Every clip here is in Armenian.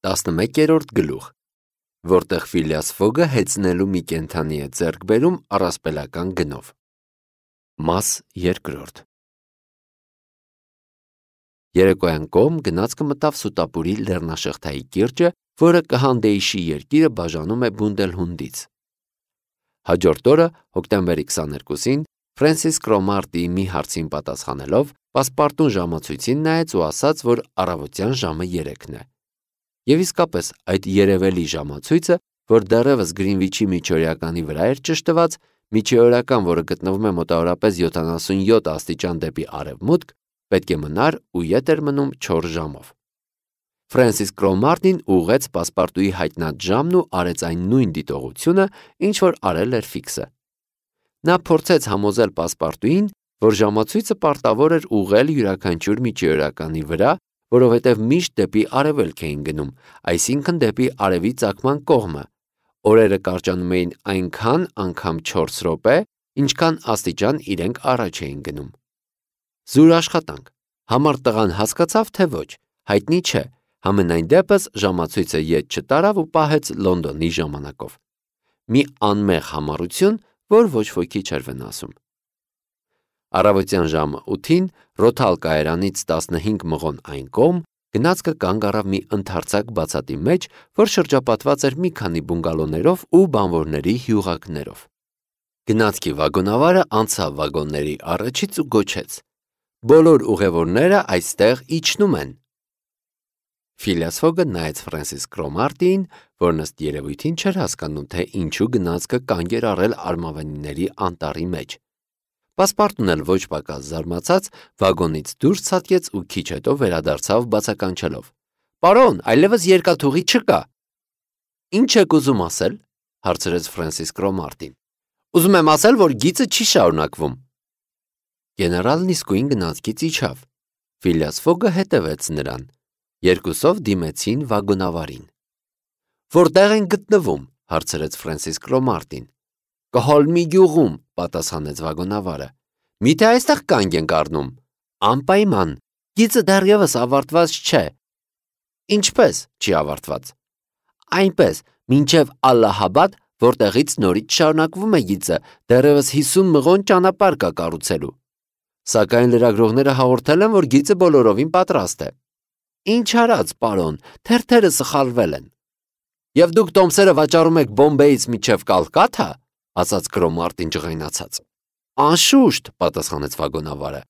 11-րդ գլուխ, որտեղ Ֆիլիաս Ֆոգը հեծնելու մի կենդանի է ձեռք բերում առասպելական գնով։ Մաս 2։ Երեկոյան կողմ գնացքը մտավ Սուտապուրի լեռնաշղթայի կիրճը, որը Կհանդեիշի երկիրը բաժանում է Բունդելհունդից։ Հաջորդ օրը, հոկտեմբերի 22-ին, Ֆրենսիս Կրոմարտիի մի հարցին պատասխանելով, պասպարտուն ժամացույցին նայեց ու ասաց, որ առավոտյան ժամը 3-ն է։ Եվ իսկապես այդ երևելի ժամացույցը, որ դեռևս Գրինվիչի միջօրյականի վրա էր ճշտված, միջօրյական, որը գտնվում է մոտավորապես 77 աստիճան դեպի արևմուտք, պետք է մնար ու ետ էր մնում 4 ժամով։ Ֆրենսիս Կրոմարտին ուղղեց պասպարտուի հայտնած ժամն ու արեց այն նույն դիտողությունը, ինչ որ արել էր Ֆիքսը։ Նա փորձեց համոզել պասպարտուին, որ ժամացույցը պարտավոր էր ուղղել յուրաքանչյուր միջօրյականի վրա, որովհետև միշտ դեպի արևելք էին գնում, այսինքն դեպի արևի ծագման կողմը։ Օրերը կարճանում էին այնքան անգամ 4 րոպե, ինչքան աստիճան իրենք առաջ էին գնում։ Զուր աշխատանք։ Համառ տղան հասկացավ, թե ոչ, հայտնի չէ, համենայն դեպս ժամացույցը ետ չտարավ ու պահեց Լոնդոնի ժամանակով։ Մի անմեղ համառություն, որ ոչ ոքի չէր վնասում։ Առավոտյան ժամը 8-ին Ռոթալ կայարանից 15 մղոն այն կողմ գնացքը կանգ առավ մի ընդարձակ բացատի մեջ, որ շրջապատված էր մի քանի բունգալոներով ու բանվորների հյուղակներով։ Գնացքի վագոնավարը անցավ վագոնների առաջից ու գոչեց. «Բոլոր ուղևորները այստեղ իջնում են»։ Ֆիլիաս Ֆոգը նայեց Ֆրենսիս Կրոմարտիին, որն ըստ երևույթին չէր հասկանում, թե ինչու գնացքը կանգ էր առել արմավենիների անտառի մեջ։ Պասպարտուն էլ ոչ պակաս զարմացած վագոնից դուրս ցատկեց ու քիչ հետո վերադարձավ բացականչելով. «Պարոն, այլևս երկաթուղի չկա»։ «Ինչ եք ուզում ասել»։ հարցրեց Ֆրենսիս Կրոմարտին։ «Ուզում եմ ասել, որ գիծը չի շարունակվում»։ Գեներալն իսկույն գնացքից իջավ։ Ֆիլիաս Ֆոգը հետևեց նրան։ Երկուսով դիմեցին վագոնավարին։ «Որտեղ են գտնվում»։ հարցրեց Ֆրենսիս Կրոմարտին։ «Կհոլմի գյուղում», պատասխանեց վագոնավարը։ «Միթե այստեղ կանգ ենք առնում»։ «Անպայման, գիծը դեռևս ավարտված չէ»։ «Ինչպես չի ավարտված»։ «Այնպես, մինչև Ալլահաբադ, որտեղից նորից շարունակվում է գիծը, դեռևս 50 մղոն ճանապարհ կա կառուցելու։ Սակայն լրագրողները հաղորդել են, որ գիծը բոլորովին պատրաստ է»։ «Ինչ արած, պարոն, թերթերը սխալվել են»։ «Եվ դուք տոմսերը վաճառում եք Բոմբեից մինչև Կալկաթա», ասաց Կրոմարտին ջղայնացած։ «Անշուշտ», պատասխանեց վագոնավարը,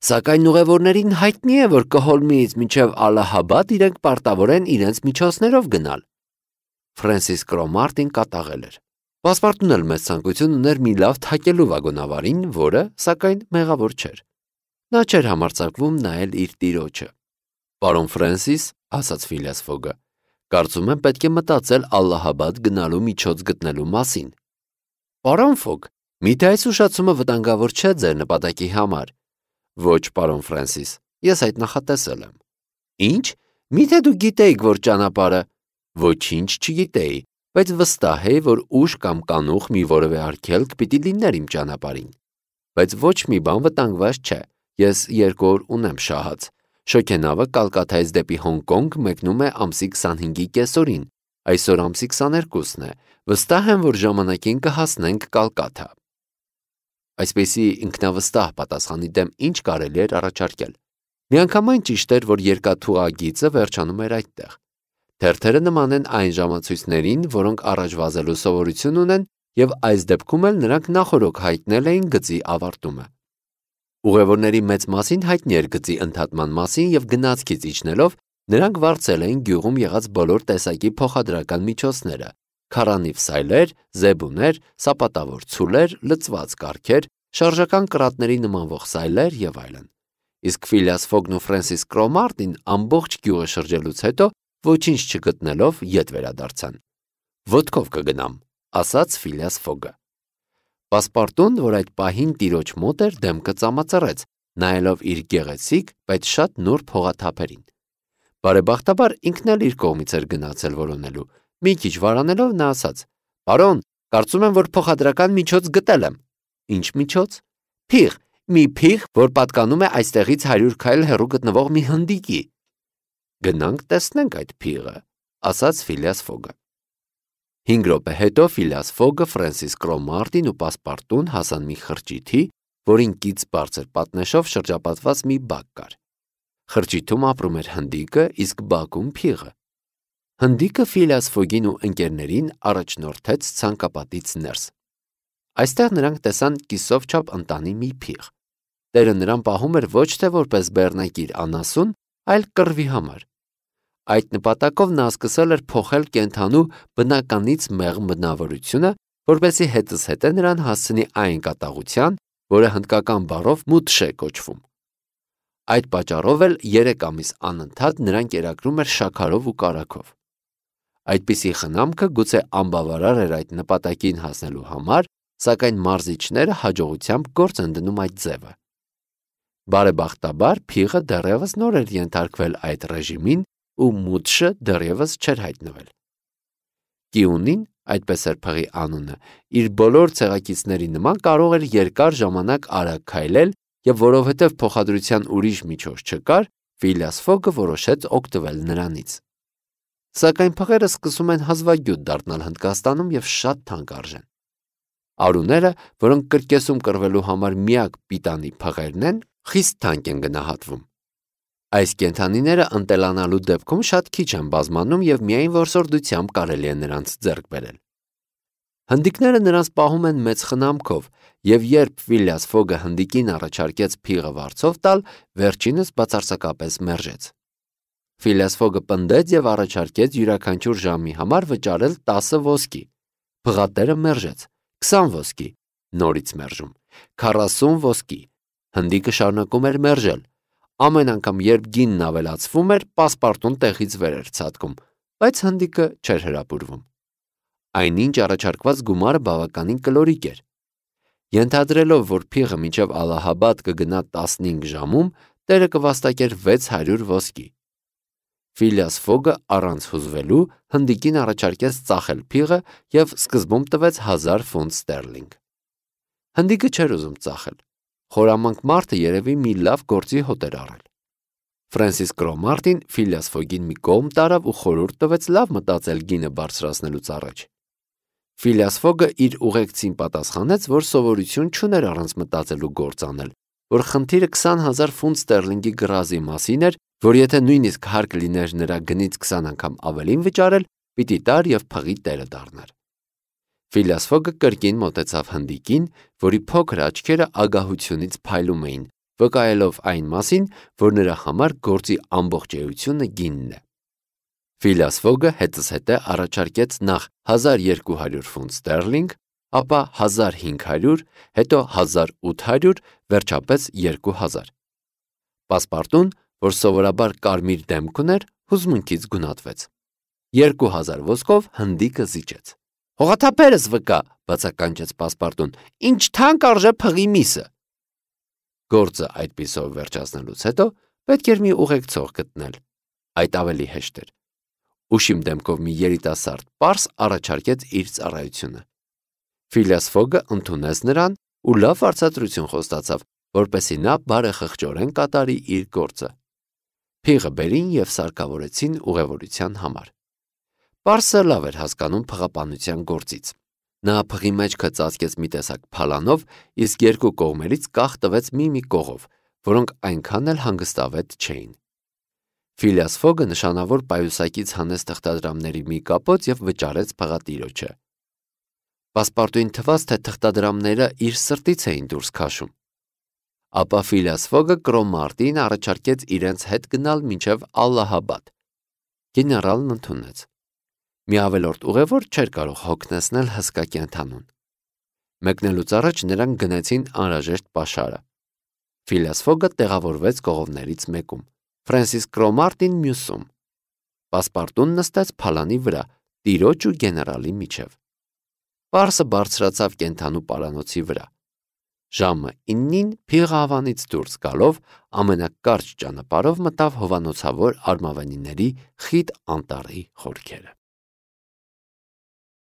«սակայն ուղևորներին հայտնի է, որ Կհոլմիից մինչև Ալլահաբադ իրենք պարտավոր են իրենց միջոցներով գնալ»։ Ֆրենսիս Կրոմարտին կատաղել էր։ Պասպարտուն էլ մեծ ցանկություն ուներ մի լավ թակելու վագոնավարին, որը, սակայն, մեղավոր չէր։ Նա չէր համարձակվում նայել իր տիրոջը։ «Պարոն Ֆրենսիս», ասաց Ֆիլիաս Ֆոգը, «կարծում եմ պետք է մտածել Ալլահաբադ գնալու միջոց գտնելու մասին»։ «Պարոն Ֆոգ, միթե այս ուշացումը վտանգավոր չէ ձեր նպատակի համար»։ «Ոչ, պարոն Ֆրենսիս, ես այդ նախատեսել եմ»։ «Ինչ, միթե դուք գիտեիք, որ ճանապարհը»։ «Ոչինչ չգիտեի, բայց վստահ էի, որ ուժ կամ կանուխ մի որևէ արգելք պիտի լիներ իմ ճանապարհին։ Բայց ոչ մի բան վտանգված չէ, ես 2 օր ունեմ շահած։ Շոգենավը Կալկաթայից դեպի Հոնկոնգ մեկնում է ամսի 25-ի կեսօրին, այսօր ամսի 22-ն է, վստահ եմ, որ ժամանակին կհասնենք Կալկաթա»։ Այսպիսի ինքնավստահ պատասխանի դեմ ինչ կարելի էր առաջարկել։ Միանգամայն ճիշտ էր, որ երկաթուղագիծը վերջանում էր այդտեղ։ Թերթերը նման են այն ժամացույցներին, որոնք առաջ վազելու սովորություն ունեն, եւ այս դեպքում էլ նրանք նախօրոք հայտնել էին գծի ավարտումը։ Ուղևորների մեծ մասին հայտնի էր գծի ընդհատման մասին եւ գնացքից իջնելով նրանք վարձել էին գյուղում եղած բոլոր տեսակի փոխադրական միջոցները՝ քարանիվ սայլեր, զեբուներ, սապատավոր ցուլեր, լցված կառքեր, շարժական կրատների նմանվող սայլեր եւ այլն։ Իսկ Ֆիլիաս Ֆոգն ու Ֆրենսիս Կրոմարտին ամբողջ գյուղը շրջելուց հետո ոչինչ չգտնելով ետ վերադարձան։ «Ոտքով կգնամ», ասաց Ֆիլիաս Ֆոգը։ Պասպարտուն, որ այդ պահին տիրոջ մոտ էր, դեմքը ծամածռեց, նայելով իր գեղեցիկ, բայց շատ նուրբ հողաթափերին։ Բարեբախտաբար ինքն էլ իր կողմից էր գնացել որոնելու։ Մի քիչ վարանելով նա ասաց. «Պարոն, կարծում եմ, որ փոխադրական միջոց գտել եմ»։ «Ինչ միջոց»։ «Փիղ, մի փիղ, որ պատկանում է այստեղից 100 քայլ հեռու գտնվող մի հնդիկի»։ «Գնանք տեսնենք այդ փիղը»։ ասաց Ֆիլիաս Ֆոգը։ 5 րոպե հետո Ֆիլիաս Ֆոգը, Ֆրենսիս Կրոմարտին ու Պասպարտուն հասան մի խրճիթի, որին կից բարձր պատնեշով շրջապատված մի բակ կար։ Խրճիթում ապրում էր հնդիկը, իսկ բակում փիղը։ Հնդիկը Ֆիլիաս Ֆոգին ու ընկերներին առաջնորդեց ցանկապատից ներս։ Այստեղ նրանք տեսան կիսով չափ ընտանի մի փիղ։ Տերը նրան պահում էր ոչ թե որպես բեռնակիր անասուն, այլ կռվի համար։ Այդ նպատակով նա սկսել էր փոխել կենդանու բնականից մեղմ բնավորությունը, որպեսզի հետզհետե նրան հասցնի այն կատաղության, որը հնդկական բառով մուտշ է կոչվում։ Այդ պատճառով էլ 3 ամիս անընդհատ նրան կերակրում էր շաքարով ու կարագով։ Այդպիսի խնամքը գուցե անբավարար էր այդ նպատակին հասնելու համար, սակայն մարզիչները հաջողությամբ գործ են դնում այդ ձևը։ Բարեբախտաբար փիղը դեռևս նոր էր ենթարկվել այդ ռեժիմին ու մուտշը դեռևս չէր հայտնվել։ Կիունին, այդպես էր փղի անունը, իր բոլոր ցեղակիցների նման կարող էր երկար ժամանակ արագ քայլել եւ որովհետեւ փոխադրության ուրիշ միջոց չկար, Ֆիլիաս Ֆոգը որոշեց օգտվել նրանից։ Սակայն փղերը սկսում են հազվագյուտ դառնալ Հնդկաստանում եւ շատ թանկ արժեն։ Արուները, որոնք կրկեսում կռվելու համար միակ պիտանի փղերն են, խիստ թանկ են գնահատվում։ Այս կենդանիները ընտելանալու դեպքում շատ քիչ են բազմանում եւ միայն որսորդությամբ կարելի է նրանց ձեռք բերել։ Հնդիկները նրանց պահում են մեծ խնամքով, եւ երբ Ֆիլիաս Ֆոգը հնդիկին առաջարկեց փիղը վարձով տալ, վերջինս բացարձակապես մերժեց։ Ֆիլիաս Ֆոգը պնդեց եւ առաջարկեց յուրաքանչյուր ժամի համար վճարել 10 ոսկի։ Փղատերը մերժեց 20 ոսկի, նորից մերժում, 40 ոսկի։ Հնդիկը շարունակում էր մերժել։ Ամեն անգամ, երբ գինն ավելացվում էր, Պասպարտուն տեղից վեր էր ցատկում, բայց հնդիկը չէր հրապուրվում։ Այնինչ առաջարկված գումարը բավականին կլորիկ էր։ Ենթադրելով, որ փիղը մինչև Ալլահաբադ կգնա 15 ժամում, տերը կվաստակեր 600 ոսկի։ Ֆիլիաս Ֆոգը առանց հուզվելու հնդիկին առաջարկեց ծախել փիղը եւ սկզբում տվեց 1000 ֆունտ ստերլինգ։ Հնդիկը չէր ուզում ծախել։ Խորամանկ մարդը երևի մի լավ գործի հոտ էր առել։ Ֆրենսիս Կրոմարտին Ֆիլիաս Ֆոգին մի կողմ տարավ ու խորհուրդ տվեց լավ մտածել գինը բարձրացնելուց առաջ։ Ֆիլիաս Ֆոգը իր ուղեկցին պատասխանեց, որ սովորություն չուներ առանց մտածելու գործ անել, որ խնդիրը 20,000 ֆունտ ստերլինգի գրազի մասին էր, որ եթե նույնիսկ հարկ լիներ նրա գնից 20 անգամ ավելին վճարել, պիտի տար եւ փղի տերը դառնար։ Ֆիլիաս Ֆոգը կրկին մոտեցավ հնդիկին, որի փոքր աչքերը ագահությունից փայլում էին, վկայելով այն մասին, որ նրա համար գործի ամբողջ էությունը գինն է։ Ֆիլիաս Ֆոգը հետզհետե առաջարկեց նախ 1200 ֆունտ ստերլինգ, ապա 1500, հետո 1800, վերջապես 2000։ Պասպարտուն, որ սովորաբար կարմիր դեմք ուներ, հուզմունքից գունատվեց։ 2000 ոսկով հնդիկը զիջեց։ Հողաթափերս վկա, բացականչեց Պասպարտուն, ինչ թանկ արժե փղի միսը։ Գործը այդպիսով վերջացնելուց հետո պետք էր մի ուղեկցող գտնել։ Այդ ավելի հեշտ էր։ Ուշիմ դեմքով մի երիտասարդ պարս առաջարկեց իր ծառայությունը։ Ֆիլիաս Ֆոգը ընդունեց նրան ու լավ արծատրություն խոստացավ, որպեսզի նա բարեխղճորեն կատարի իր գործը։ Փիղը բերին եւ սարքավորեցին ուղևորության համար։ Պարսը լավ էր հասկանում փղապանության գործից։ Նա փղի մեջքը ծածկեց մի տեսակ փալանով, իսկ երկու կողմերից կախ տվեց մի կողով, որոնք այնքան էլ հանգստավետ չէին։ Ֆիլիաս Ֆոգը նշանավոր պայուսակից հանեց թղթադրամների մի կապոց եւ վճարեց փղատիրոջը։ Պասպարտուին թվաց, թե թղթադրամները իր սրտից էին դուրս քաշում։ Ապա Ֆիլիաս Ֆոգը Կրոմարտին առաջարկեց իրենց հետ գնալ մինչև Ալլահաբադ։ Գեներալն ընդունեց։ Մի ավելորդ ուղևոր չէր կարող հոգնեցնել հսկա կենդանուն։ Մեկնելուց առաջ նրանք գնեցին անհրաժեշտ պաշարը։ Ֆիլիաս Ֆոգը տեղավորվեց կողովներից մեկում, Ֆրենսիս Կրոմարտին մյուսում։ Պասպարտուն նստեց փալանի վրա, տիրոջ ու գեներալի միջև։ Պարսը բարձրացավ կենդանու պարանոցի վրա։ Ժամը 9-ին փիղը ավանից դուրս գալով ամենակարճ ճանապարհով մտավ հովանոցավոր արմավենիների խիտ անտառի խորքերը։